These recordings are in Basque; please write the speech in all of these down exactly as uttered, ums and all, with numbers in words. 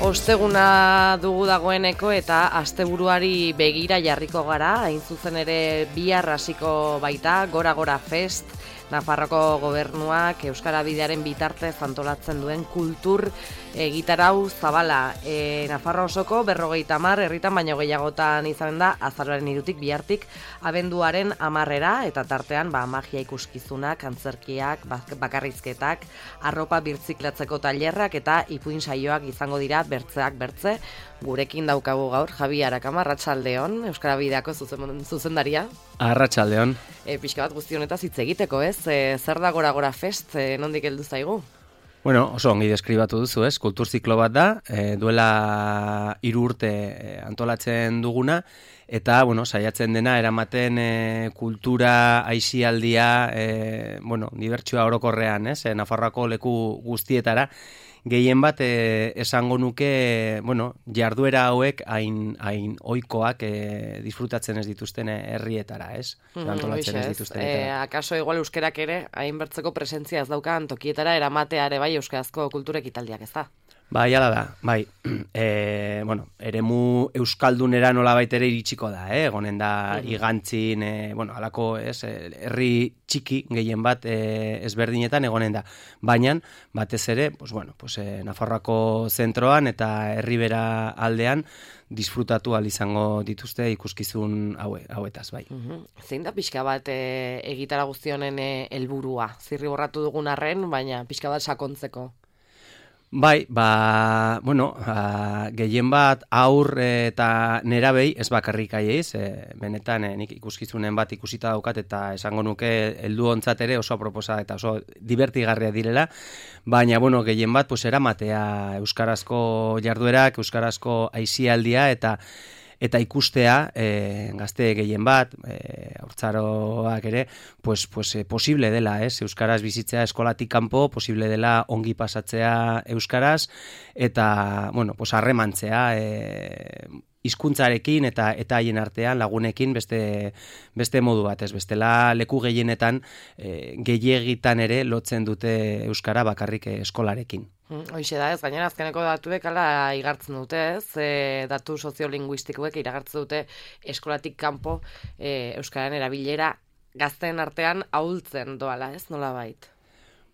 Osteguna dugu dagoeneko eta asteburuari begira jarriko gara, hain zuzen ere bihar hasiko baita Gora Gora Fest, Nafarroko gobernuak Euskara Bidearen bitartez antolatzen duen kultur egitarau zabala. E, Nafarro osoko berrogeita hamar herritan baino gehiagotan izanen da azaroaren hirutik bihartik abenduaren hamarrera, eta tartean ba, magia ikuskizunak, antzerkiak, bakarrizketak, arropa birtziklatzeko tailerrak eta ipuin saioak izango dira bertzeak bertze. Gurekin daukagu gaur Javi Arakama, Arratsaldeon, Euskara Bideako zuzen, zuzendaria. Arratsaldeon. E, pixka bat guzti honetaz hitz egiteko, ez? E, zer da Gora Gora Fest, e, nondik heldu zaigu? Bueno, oso ongi deskribatu duzu, ez? Kultur ziklo bat da, e, duela hiru urte e, antolatzen duguna, eta, bueno, saiatzen dena eramaten e, kultura, aisialdia, e, bueno, dibertsioa orokorrean, ez? E, Nafarroako leku guztietara, gehien bat e, esango nuke, bueno, jarduera hauek hain, hain oikoak e, disfrutatzen ez dituzten herrietara, ez? Mm, antolatzen ez dituzten. E, akaso igual euskerak ere, hain bertzeko presentzia ez daukan tokietara eramateare bai euskarazko kulturek italdiak, ez da? Bai, ala da, bai, e, bueno, eremu euskaldunera nolabait ere iritsiko da, eh? Egonen da mm-hmm. igantzin, e, bueno, alako, ez, herri txiki gehien bat e, ezberdinetan egonen da. Baina, batez ere, pues, bueno, pues, e, Nafarroako zentroan eta herribera aldean disfrutatu ahal izango dituzte ikuskizun haue, hauetaz, bai. Mm-hmm. Zein da pixka bat e, egitara guztionen helburua? E, Zirri borratu dugun arren, baina pixka bat sakontzeko. Bai, ba, bueno, a, gehien bat aur eta nerabei ez bakarrik aieiz, e, benetan e, nik ikuskizunen bat ikusita daukat eta esango nuke heldu ontzat ere oso proposa eta oso divertigarria direla, baina, bueno, gehien bat pues, eramatea euskarazko jarduerak, euskarazko aisialdia eta eta ikustea e, gazte gehien bat, e, haurtzaroak ere, pues, pues, e, posible dela, ez? Euskaraz bizitzea eskolatik kanpo, posible dela ongi pasatzea euskaraz, eta, bueno, pues, harremantzea, e, hizkuntzarekin eta eta haien artean lagunekin beste beste modu bat, ez? Bestela leku gehienetan e, gehiegitan ere lotzen dute euskara bakarrik eskolarekin. Hoixe da, ez, gainera azkeneko datuek ala igartzen dute, ez, e, datu soziolinguistikoek iragartzen dute eskolatik kanpo e, euskararen erabilera gazteen artean ahultzen doala, ez, nolabait?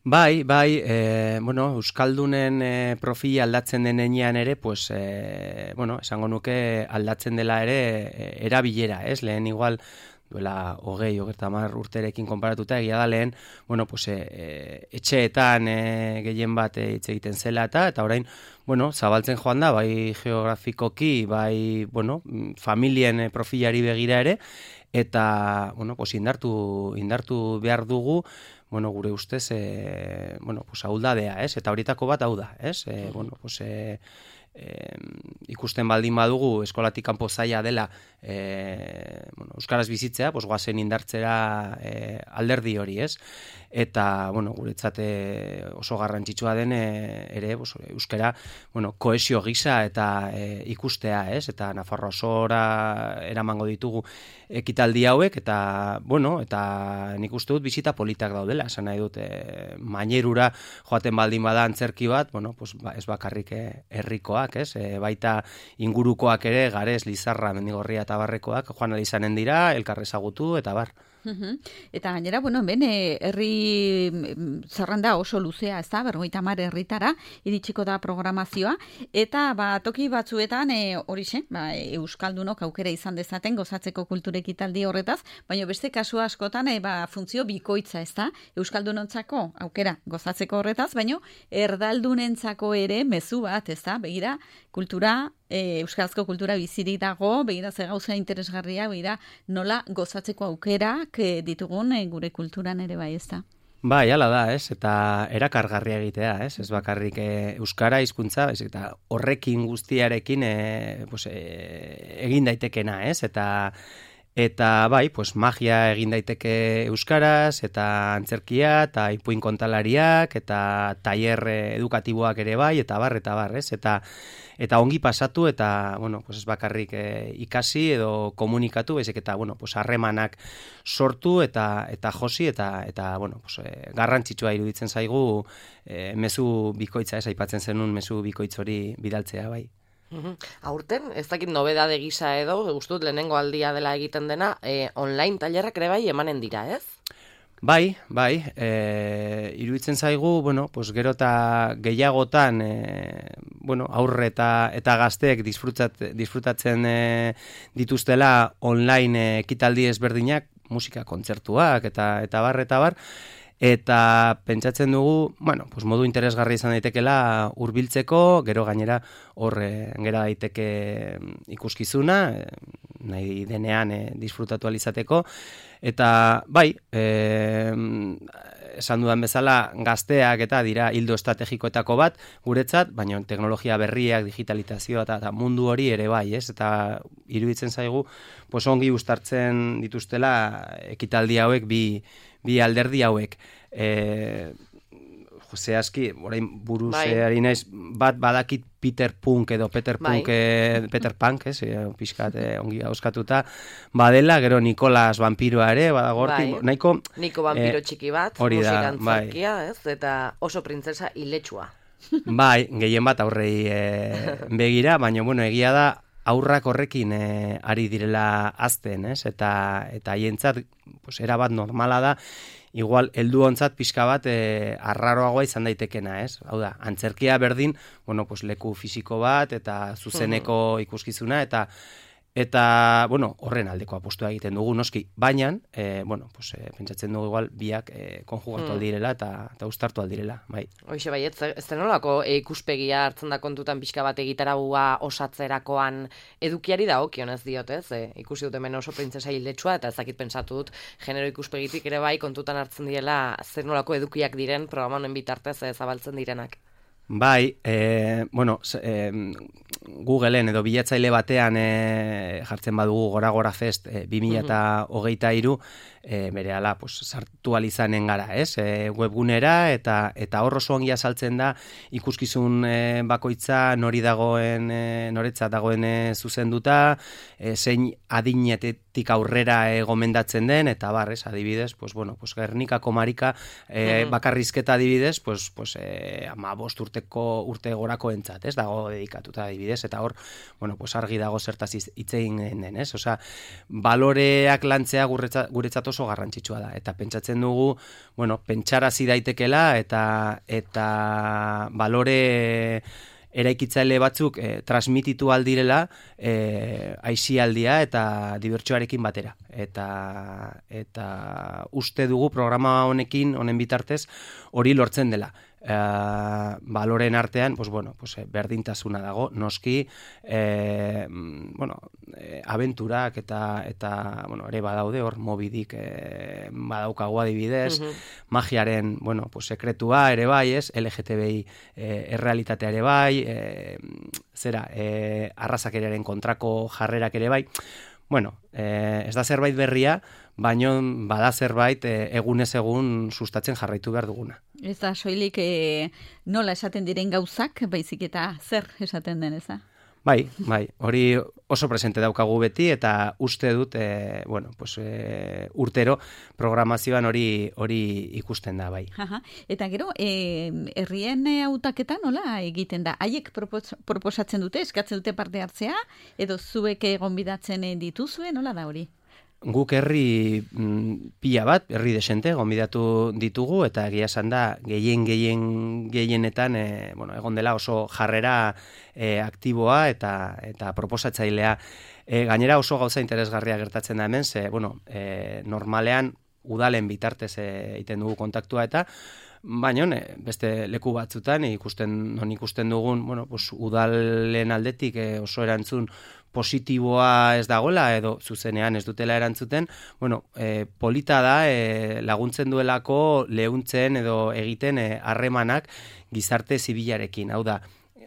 Bai, bai, e, bueno, euskaldunen e, profila aldatzen denean ere, pues, e, bueno, esango nuke aldatzen dela ere e, erabilera, ez, lehen igual duela hogei, hogeita hamar urterekin konparatuta egia da lehen, bueno, pues, e, etxeetan e, gehien bat hitz egiten zela eta, eta orain, bueno, zabaltzen joan da, bai geografikoki, bai, bueno, familien profilari begira ere, eta, bueno, pues, indartu, indartu behar dugu, bueno, gure ustez, e, bueno, pues, ahuldadea, ez? Eta horietako bat hau da, ez? E, bueno, pues, e, E, ikusten baldin badugu eskolatik kanpo zaila dela e, bueno, euskaraz bizitzea, pues goazen indartzera e, alderdi hori, ez? Eta, bueno, guretzat oso garrantzitsua den e, ere, pues, euskara, bueno, kohesio gisa eta e, ikustea, ez? Eta Nafarroa osora eramango ditugu ekitaldi hauek, eta, bueno, eta nik uste dut bizita politak daudela, esan nahi dut, e, mainerura joaten baldin bada antzerki bat, bueno, pues, ba, ez bakarrik herrikoak, ez? E, baita ingurukoak ere, Garez, Lizarra, Mendigorria eta Barrekoak joan ahal izanen dira, elkar ezagutu eta bar. Uhum. Eta gainera, bueno, ben, herri zerrenda oso luzea, ez da, berrogeita hamar herritara, iritsiko da programazioa, eta ba, toki batzuetan, horixe, e, ba, euskaldunok aukera izan dezaten gozatzeko kultura ekitaldi horretaz, baina beste kasu askotan, e, ba, funtzio bikoitza, ez da, euskaldunontzako aukera gozatzeko horretaz, baina erdaldunentzako ere mezu bat, ez da, begira, kultura, E, euskarazko kultura bizirik dago, begira ze gauza interesgarria, begira nola gozatzeko aukerak e, ditugun e, gure kulturan ere bai, ez da. Bai, hala da, ez? Eta erakargarria egitea, ez? Ez bakarrik e, euskara hizkuntza, ez? Eta horrekin guztiarekin e, pues, e, egin daitekena, ez? Eta Eta bai, pues magia egin daiteke euskaraz, eta antzerkia, eta ipuin kontalariak, eta tailer edukatiboak ere bai, eta bar, eta bar, ez? Eta, eta ongi pasatu, eta, bueno, pues ez bakarrik eh, ikasi edo komunikatu, baizik eta, bueno, pues harremanak sortu, eta eta josi, eta, eta bueno, pues, eh, garrantzitsua iruditzen zaigu eh, mezu bikoitza, ez aipatzen zenun mezu bikoitz hori bidaltzea, bai. Uhum. Aurten, ez dakit nobedade gisa edo, gustut lehenengo aldia dela egiten dena, eh, online tailerrak ere bai emanen dira, ez? Bai, bai, e, iruditzen zaigu, bueno, pues gero eta gehiagotan, e, bueno, aurre eta, eta gazteek disfrutat, disfrutatzen e, dituztela online e, ekitaldi ezberdinak, musika kontzertuak eta eta bar, eta bar, eta pentsatzen dugu, bueno, pues modu interesgarri izan daitekela hurbiltzeko, gero gainera hor e, gera daiteke ikuskizuna, e, nahi denean e, disfrutatu alizateko, eta bai, e, esan dudan bezala gazteak eta dira hildo estrategikoetako bat guretzat, baina teknologia berriak, digitalizazioa eta, eta mundu hori ere bai, ez? Eta iruditzen zaigu, pues ongi uztartzen dituztela ekitaldi hauek bi bi alderdi hauek. E, zehazki, orain buruz bai. ari naiz, bat badakit Peter Punk edo Peter bai. Punk, e, Peter Punk, ez, e, pixkat e, ongi auskatuta, badela, gero Nikolas vampiroa ere, badagorti, bai. nahiko... Niko vampiro e, txiki bat, hori da, musikantzarkia, bai. Ez? Eta oso printzesa iletsua. Bai, gehien bat aurrei e, begira, baina, bueno, egia da, aurrak horrekin e, ari direla azten, ez? Eta eta haientzat, pues, era bat normala da, igual heldu ontzat pixka bat e, arraroagoa izan daitekena, ez? Hau da, antzerkia berdin, bueno, pues, leku fisiko bat eta zuzeneko ikuskizuna, eta eta, bueno, horren aldeko apostua egiten dugu, noski, baina, e, bueno, pues, e, pentsatzen dugu igual biak e, konjugatu aldirela eta, eta ustartu aldirela, bai. Hoixe bai, ez, ez denolako e, ikuspegia hartzen da kontutan pixka bat egitaragua osatzerakoan edukiari da okionez diot, ez? E, ikusi dut hemen oso printzesa hiletsua, eta ezakit pentsatu dut genero ikuspegitik ere bai kontutan hartzen diela zer nolako edukiak diren programa honen bitartez e, zabaltzen direnak. Bai, e, bueno, e, Googleen edo bilatzaile batean e, jartzen badugu Gora Gora Fest e, bi mila hogeita hiru, e, berehala pues, sartu alizanen gara, ez? E, webgunera, eta eta hor oso ongi azaltzen da ikuskizun e, bakoitza nori dagoen, e, noretzat dagoen e, zuzenduta, e, zein adinetetik aurrera e, gomendatzen den, eta bar, ez, adibidez, pues, bueno, pues, Gernikako Marika e, bakarrizketa adibidez, pues, pues, e, ama bost urteko urte gorako entzat, ez, dago dedikatuta adibidez, eta hor, bueno, pues, argi dago zertaz hitz egin den, ez, osea, baloreak lantzea guretzat, guretzat oso garrantzitsua da, eta pentsatzen dugu, bueno, pentsarazi daitekela, eta eta balore eraikitzaile batzuk eh, transmititu aldirela eh, aisialdia eta dibertsioarekin batera. Eta, eta uste dugu programa honekin, honen bitartez, hori lortzen dela. Uh, baloren artean, pues bueno, pues, berdintasuna dago, noski, eh, bueno, eh, abenturak eta, eta bueno, ere badaude, hor mobidik eh, badaukagu adibidez, uh-huh. magiaren, bueno, pues, sekretua ere bai, ez, L G T B I eh, errealitatea ere bai, eh, zera, eh, arrazakeraren kontrako jarrerak ere bai, bueno, eh, ez da zerbait berria, baino bada zerbait e, egunez egun sustatzen jarraitu behar duguna. Ez da, soilik e, nola esaten diren gauzak, baizik eta zer esaten den, ez da? Bai, bai, hori oso presente daukagu beti, eta uste dut, e, bueno, pues, e, urtero programazioan hori hori ikusten da, bai. Aha. Eta gero, e, herrien hautaketa nola egiten da? Haiek propos, proposatzen dute, eskatzen dute parte hartzea, edo zuek gonbidatzen dituzue, nola da hori? Guk herri mm, pila bat, herri desente, gonbidatu ditugu, eta egia esan da, gehien, gehien, gehienetan, e, bueno, egon dela oso jarrera e, aktiboa eta eta proposatzailea. E, gainera oso gauza interesgarria gertatzen da hemen, ze, bueno, e, normalean udalen bitartez egiten dugu kontaktua eta, baina beste leku batzutan ikusten non ikusten dugun, bueno, pues, udalen aldetik e, oso erantzun positiboa ez dagoela edo zuzenean ez dutela erantzuten, bueno, e, polita da e, laguntzen duelako lehuntzen edo egiten harremanak e, gizarte zibilarekin. Hau da,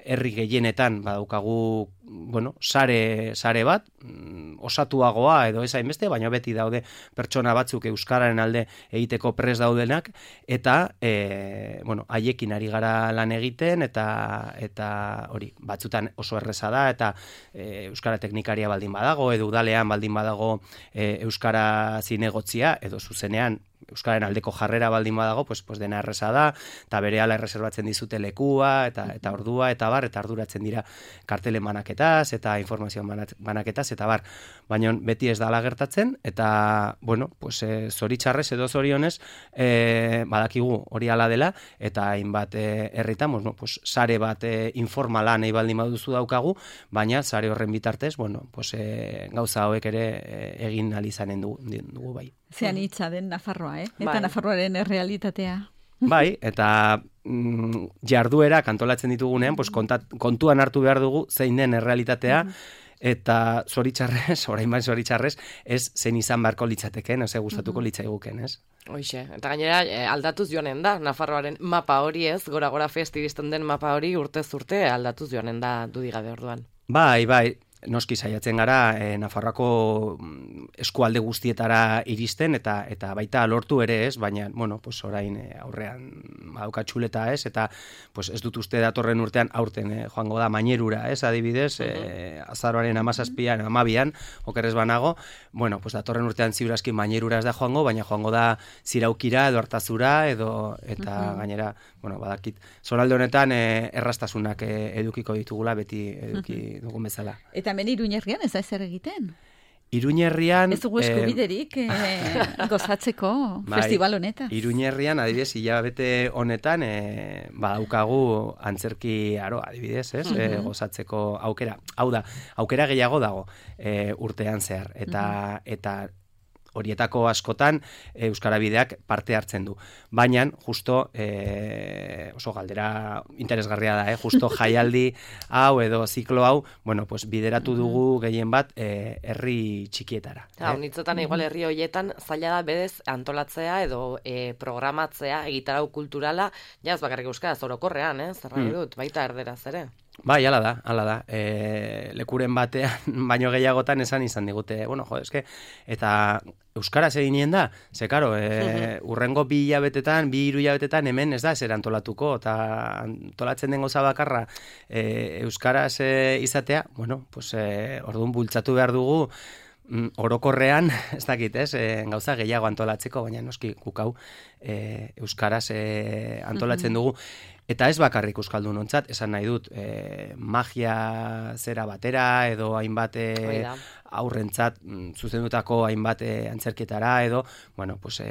herri gehienetan badaukagu, bueno, sare, sare bat, osatuagoa edo ez hainbeste, baina beti daude pertsona batzuk euskararen alde egiteko pres daudenak, eta e, bueno, haiekin ari gara lan egiten, eta eta hori, batzutan oso erreza da, eta e, euskara teknikaria baldin badago, edo udalean baldin badago e, euskara zinegotzia, edo zuzenean euskararen aldeko jarrera baldin badago, pues, pues dena erreza da, eta berehala erreserbatzen dizute lekua, eta eta ordua, eta bar, eta arduratzen dira kartelen banaketaz, eta informazioan banaketaz, eta bar, baina beti ez dala gertatzen, eta, bueno, pues, e, zoritxarrez edo zorionez, e, badakigu hori ala dela, eta hainbat e, herritan, bueno, pues, sare bat e, informala nahi baldin baduzu daukagu, baina sare horren bitartez, bueno, pues, e, gauza hauek ere e, egin alizanen dugu, dugu bai. Zean hitza den Nafarroa, eh? Eta bai. Nafarroaren errealitatea. Bai, eta mm, jarduerak antolatzen ditugunean, pues, kontat, kontuan hartu behar dugu zein den errealitatea, eta zoritxarrez, orain bai zoritxarrez, ez zen izan beharko litzateken, ez gustatuko litzaiguken, ez? Hoixe, eta gainera eh, aldatuz joanen da, Nafarroaren mapa hori ez, gora-gora fest iristen den mapa hori urtez urte aldatuz joanen da dudigabe orduan. Bai, bai, noski saiatzen gara e, Nafarroako eskualde guztietara iristen, eta eta baita lortu ere ez, baina, bueno, pues orain e, aurrean badauka txuleta ez, eta pues ez dut uste datorren urtean aurten e, joango da Mainerura ez, adibidez, e, azaroaren hamazazpian, hamabian, okerrez banago, bueno, pues datorren urtean ziurazki Mainerura ez da joango, baina joango da Ziraukira edo Artazura, edo, eta uh-huh. gainera, bueno, badakit, zonalde honetan e, errastasunak e, edukiko ditugula, beti eduki uh-huh. dugun bezala. Eta hemen Iruñerrian ez da ezer egiten? Iruñerrian... Ez dugu eskubiderik eh, gozatzeko bai, festival honetaz. Iruñerrian, adibidez, hilabete honetan, eh, badaukagu antzerki aro, adibidez, ez? Uh-huh. eh, gozatzeko aukera. Hau da, aukera gehiago dago eh, urtean zehar. Eta, uh-huh. eta horietako askotan Euskara Bideak parte hartzen du. Baina, justo, e, oso galdera interesgarria da, eh? Justo jaialdi hau edo ziklo hau, bueno, pues bideratu dugu gehien bat e, herri txikietara. Ja, eh? Unitzetan, igual herri horietan, zaila da bedez antolatzea edo e, programatzea, egitarau kulturala, jaz bakarrik euskaraz orokorrean, eh? Zerra mm. dut, baita erderaz ere. Bai, ala da, ala da. E, lekuren batean, baino gehiagotan esan izan digute. Bueno, jo, eske, eta euskaraz eginien da, ze, karo, e, urrengo bi hilabetetan, bi hiru hilabetetan hemen ez da ezer antolatuko, eta antolatzen den goza bakarra e, euskaraz e, izatea, bueno, pues, e, orduan bultzatu behar dugu, mm, orokorrean, ez dakit, ez, e, gauza gehiago antolatzeko, baina noski gukau e, euskaraz e, antolatzen dugu. Eta ez bakarrik euskaldunontzat, esan nahi dut, e, magia zera batera, edo hainbat e, aurrentzat zuzendutako hainbat e, antzerkietara, edo, bueno, pues, e,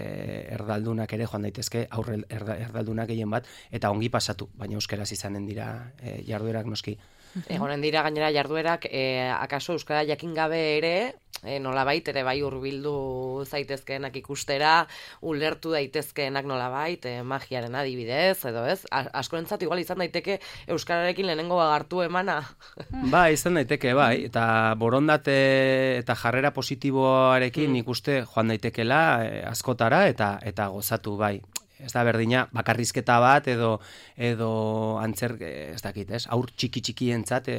erdaldunak ere joan daitezke, aurre erda, erdaldunak gehien bat, eta ongi pasatu, baina euskeraz izanen dira e, jarduerak noski. Egonen dira gainera jarduerak, e, akaso euskara jakin gabe ere, e, nolabait ere bai hurbildu zaitezkeenak ikustera, ulertu daitezkeenak nolabait, e, magiaren adibidez, edo ez? Askorentzat igual izan daiteke euskararekin lehenengo hartu emana. Ba, izan daiteke, bai, eta borondate eta jarrera positiboarekin mm. ikuste joan daitekela e, askotara eta eta gozatu, bai. Ez da berdina, bakarrizketa bat edo edo antzer, ez dakit, ez? Aur txiki txikientzat e,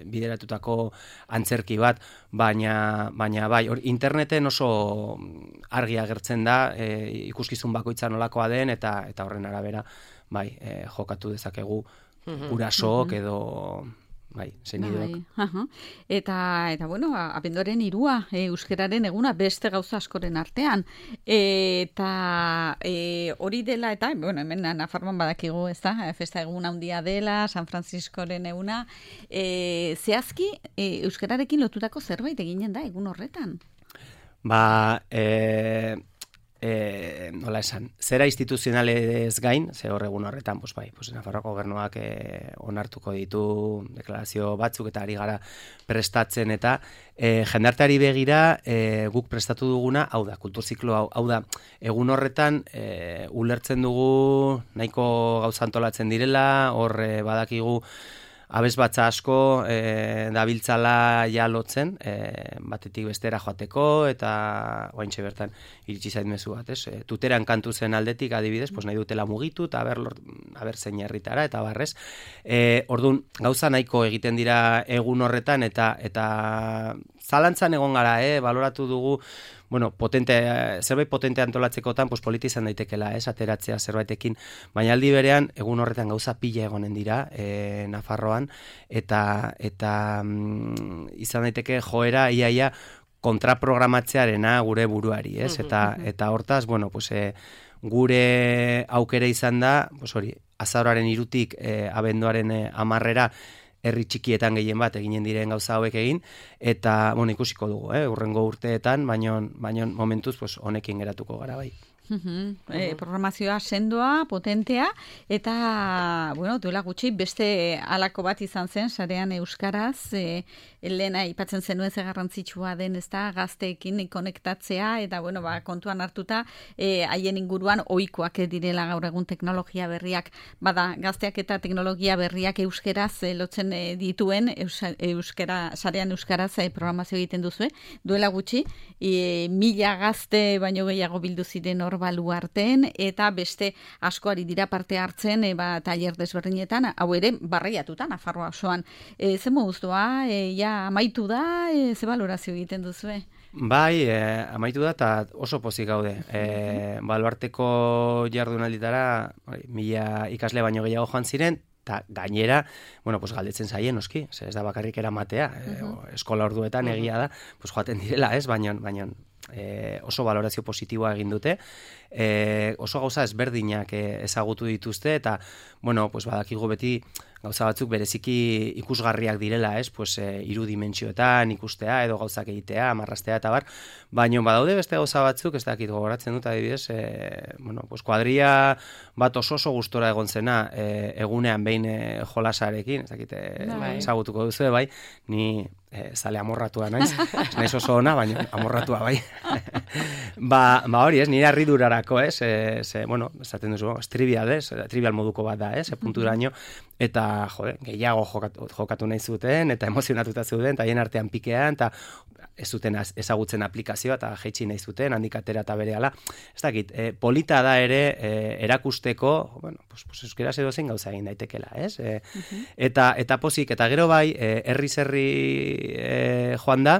bideratutako antzerki bat, baina baina bai, or, interneten oso argi agertzen da e, ikuskizun bakoitza nolakoa den eta eta horren arabera bai, e, jokatu dezakegu gurasook edo bai, zenideok. Bai, eta, eta, bueno, abenduaren irua, e, euskararen eguna beste gauza askoren artean. Eta e, hori dela, eta, bueno, hemen Nafarroan badakigu, ez da, festa eguna handia dela, San Franciscoren eguna. E, zehazki, e, euskararekin lotutako zerbait eginen da, egun horretan? Ba, e... E, nola esan, zera instituzionalez gain, ze hor egun horretan, pues bai, pues Nafarroako gobernuak e, onartuko ditu deklarazio batzuk eta ari gara prestatzen eta e, jendarteari begira e, guk prestatu duguna, hau da, kulturziklo hau, hau da, egun horretan e, ulertzen dugu nahiko gauza antolatzen direla, hor e, badakigu abesbatza asko e, dabiltzala ja lotzen, e, batetik bestera joateko, eta oaintxe bertan iritsi zait mezu bat, ez? E, tuteran kantu zen aldetik adibidez, pues nahi dutela mugitu, eta aber, aber zein herritara, eta barrez. E, orduan, gauza nahiko egiten dira egun horretan, eta eta zalantzan egon gara, eh, baloratu dugu, bueno, potente, zerbait potente antolatzekotan, pues polita izan daitekela, ez, ateratzea zerbaitekin, baina aldi berean, egun horretan gauza pila egonen dira, e, Nafarroan, eta, eta mm, izan daiteke joera, iaia, kontraprogramatzearena gure buruari, ez, eta, eta hortaz, bueno, pues, e, gure aukera izan da, pues hori, azaroaren irutik e, abenduaren e, amarrera, herri txikietan gehien bat eginen diren gauza hauek egin, eta, bueno, ikusiko dugu, eh, urrengo urteetan, baino, baino momentuz, pues, honekin geratuko gara bai. Uhum. E, programazioa sendoa, potentea, eta, bueno, duela gutxi, beste halako bat izan zen, sarean euskaraz, e, lehena ipatzen zenuen ze garrantzitsua den, ez da, gazteekin konektatzea, eta, bueno, ba, kontuan hartuta, e, haien inguruan ohikoak direla gaur egun teknologia berriak, bada, gazteak eta teknologia berriak euskeraz e, lotzen e, dituen, eus, euskera, sarean euskaraz e, programazio egiten duzu, duela gutxi, e, mila gazte baino gehiago bildu ziren hor baluarten, eta beste askoari dira parte hartzen, e, ba, tailer desberdinetan, hau ere, barreiatuta, Nafarroa osoan. E, ze moduztua, e, ja, amaitu da, e, ze balorazio egiten duzue? Bai, e, amaitu da, eta oso pozik gaude. E, baluarteko jardunalditara, mila ikasle baino gehiago joan ziren, eta gainera, bueno, pues galdetzen zaien, noski, ez da bakarrik eramatea, e, eskola orduetan egia da, pues joaten direla, ez, baino, baino, E, oso valorazio positiboa egin dute, e, oso gauza ezberdinak e, ezagutu dituzte, eta, bueno, pues badakigu beti gauza batzuk bereziki ikusgarriak direla, ez, pues e, hiru dimentsioetan ikustea, edo gauzak egitea, amarrastea eta bar, baino badaude beste gauza batzuk, ez dakit gogoratzen dut, adibidez, e, bueno, pues kuadria bat oso oso gustora egon zena, e, egunean behin e, jolasarekin, ez dakit, e, ezagutuko duzu, bai, ni e, zale amorratua naiz, naiz oso ona, baina amorratua bai. ba, ba hori, ez, nire harridurarako, ez, e, ze, bueno, esaten duzu, ez, trivial, ez, trivial moduko bat da, ez, punturaino, eta, jode, gehiago jokatu, jokatu nahi zuten, eta emozionatuta zuten, eta hien artean pikean, eta ez zuten ezagutzen aplikazioa, eta jeitsi nahi zuten, handik atera eta berehala. Ez dakit, e, polita da ere e, erakusteko, bueno, pues, pues euskeraz edo zein gauza egin daitekela, ez? E, uh-huh. eta, eta pozik, eta gero bai, e, herri-zerri e, joan da,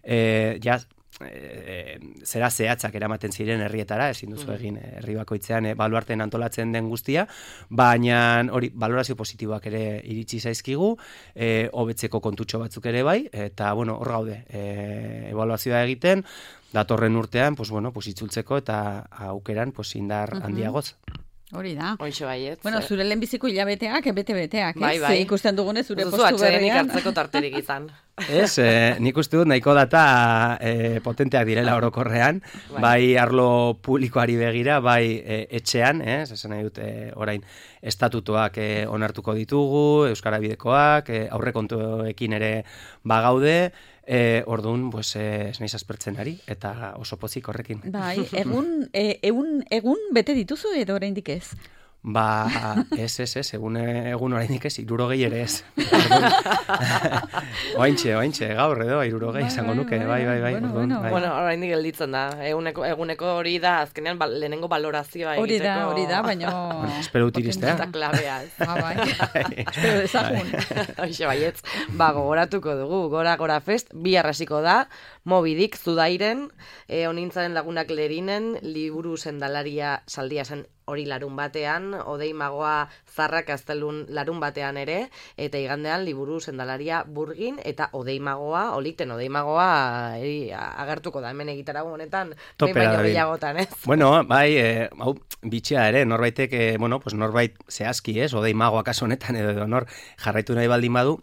e, ja, E, zera zehatzak eramaten ziren herrietara, ezin duzu egin herri bakoitzean e, baluarten antolatzen den guztia, baina hori valorazio positiboak ere iritsi zaizkigu, e, hobetzeko kontutxo batzuk ere bai, eta bueno, hor gaude, e, ebaluazioa egiten, datorren urtean, pues bueno, pues itzultzeko eta aukeran pues indar uh-huh. handiagoz. Hori da. Hoxe baiet. Bueno, zure lehenbiziko hilabeteak, bete-beteak, ez? Bai, bai. Ze ikusten dugunez, zure Zuzu postu berrian. atxedenik hartzeko tarterik izan. Ez, eh, nik uste dut nahiko data eh, potenteak direla orokorrean, bai. bai arlo publikoari begira, bai eh, etxean, eh, esan nahi dut eh, orain estatutoak eh, onartuko ditugu, Euskara Bidekoak, eh, aurrekontuekin ere bagaude, E, orduan, pues, eh, ez naiz aspertzen ari, eta oso pozik horrekin. Bai, egun, e, egun, egun bete dituzu edo oraindik ez? Ba, ez, ez, ez, egun, egun oraindik ez, irurogei ere ez. oaintxe, oaintxe, gaur edo, irurogei izango nuke, bai, bai, bai. Bueno, orduan, bueno, bai. Bueno, oraindik gelditzen da, eguneko, eguneko hori da, azkenean ba, lehenengo valorazioa egiteko. Hori da, hori da, baina... Bueno, espero dut iristea. Eta klabea. Ba, bai, espero dezagun. Hoxe baietz, ba, gogoratuko dugu, Gora Gora Fest, bi arrasiko da, Mobidik, Zudairen, e, onintzaren lagunak lerinen, liburu sendalaria saldia zen hori larun batean, Odei Magoa Zarrak Gaztelun larun batean ere, eta igandean liburu sendalaria Burgin, eta Odei Magoa, olikten Odei Magoa eri, agertuko da hemen egitarago honetan, behin baino gehiagotan, ez? Bueno, bai, eh, hau, bitxia ere, norbaitek, eh, bueno, pues norbait zehazki, ez, Odei Magoa kaso honetan, edo, edo nor jarraitu nahi baldin badu,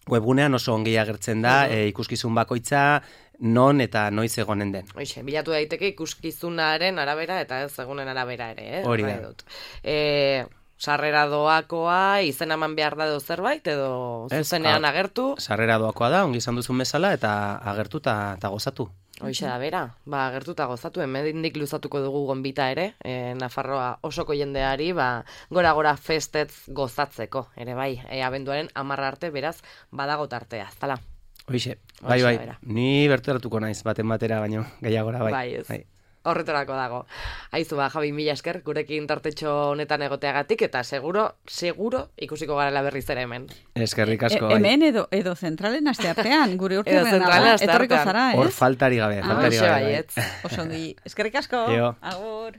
webgunean oso ongi agertzen da, uh-huh. e, ikuskizun bakoitza, non eta noiz egonen den. Hoxe, bilatu daiteke ikuskizunaren arabera eta ez egunen arabera ere, eh? Hori da. E, sarrera doakoa, izen eman behar da edo zerbait, edo zuzenean agertu? Sarrera doakoa da, ongi izan duzun bezala, eta agertu eta gozatu. Hoxe da, bera, ba, agertu eta gozatu, hemendik luzatuko dugu gonbita ere, e, Nafarroa osoko jendeari, ba, Gora Gora Festetz gozatzeko, ere bai, e, abenduaren amarra arte, beraz, badago tartea, zala. Hoxe, bai, bai, ni berteratuko naiz, baten batera, baino, gehiagora, bai. Bai, ez. Bai. horretorako dago. Aizu ba, Javi, mila esker, gurekin tartetxo honetan egoteagatik, eta seguro, seguro ikusiko garela berriz ere hemen. Eskerrik asko. E, hemen edo, edo zentralen asteartean, gure urte etorriko zara, ez? Hor faltari gabe, faltari ah, gabe. Oso ongi, eskerrik asko, Eo. agur.